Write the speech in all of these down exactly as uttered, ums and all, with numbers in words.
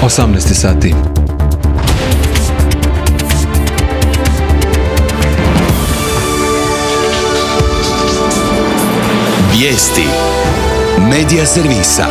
osamnaest sati. Vijesti Medija servisa.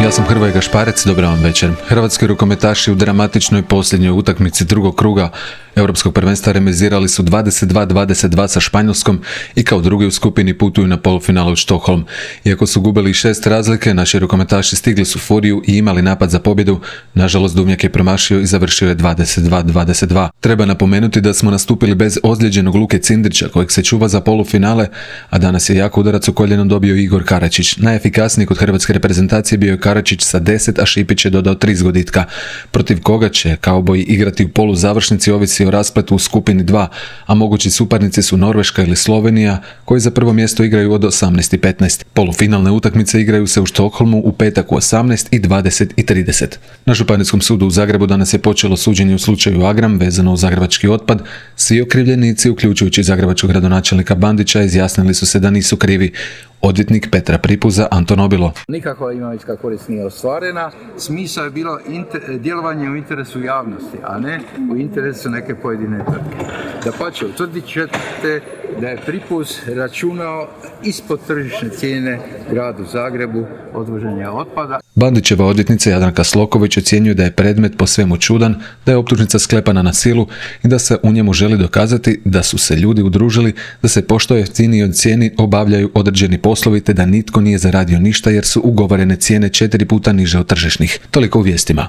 Ja sam Hrvoje Gašparec, dobar vam večer. Hrvatski rukometaši u dramatičnoj posljednjoj utakmici drugog kruga Europskog prvenstva remizirali su dvadeset dva dvadeset dva sa Španjolskom i kao drugi u skupini putuju na polufinale u Stockholm. Iako su gubili šest razlike, naši rukometaši stigli su furiju i imali napad za pobjedu. Nažalost, Duvnjak je promašio i završio je dvadeset dva dvadeset dva. Treba napomenuti da smo nastupili bez ozlijeđenog Luke Cindrića, kojeg se čuva za polufinale, a danas je jak udarac u koljeno dobio Igor Karačić. Najefikasniji kod hrvatske reprezentacije bio je Karačić sa deset, a Šipić je dodao tri zgoditka. Protiv koga će kauboji igrati u poluzavršnici ovisi o raspletu u skupini dva, a mogući suparnici su Norveška ili Slovenija, koji za prvo mjesto igraju od osamnaest i petnaest. Polufinalne utakmice igraju se u Štokholmu u petak u osamnaest i dvadeset i trideset. Na Županijskom sudu u Zagrebu danas je počelo suđenje u slučaju Agram vezano uz zagrebački otpad. Svi okrivljenici, uključujući zagrebačkog gradonačelnika Bandića, izjasnili su se da nisu krivi. Odvjetnik Petra Pripuza Anton Obilo. Nikakva imovinska korist nije ostvarena. Smisao je bilo inter, djelovanje u interesu javnosti, a ne u interesu neke pojedine tvrtke. Dapače, utvrdit ćete da je Pripuz računao ispod tržišne cijene gradu Zagrebu odvoženja otpada. Bandićeva odvjetnica Jadranka Sloković ocjenjuje da je predmet po svemu čudan, da je optužnica sklepana na silu i da se u njemu želi dokazati da su se ljudi udružili, da se po što jeftiniji od cijeni obavljaju određeni poslovi te da nitko nije zaradio ništa jer su ugovorene cijene četiri puta niže od tržišnih. Toliko u vijestima.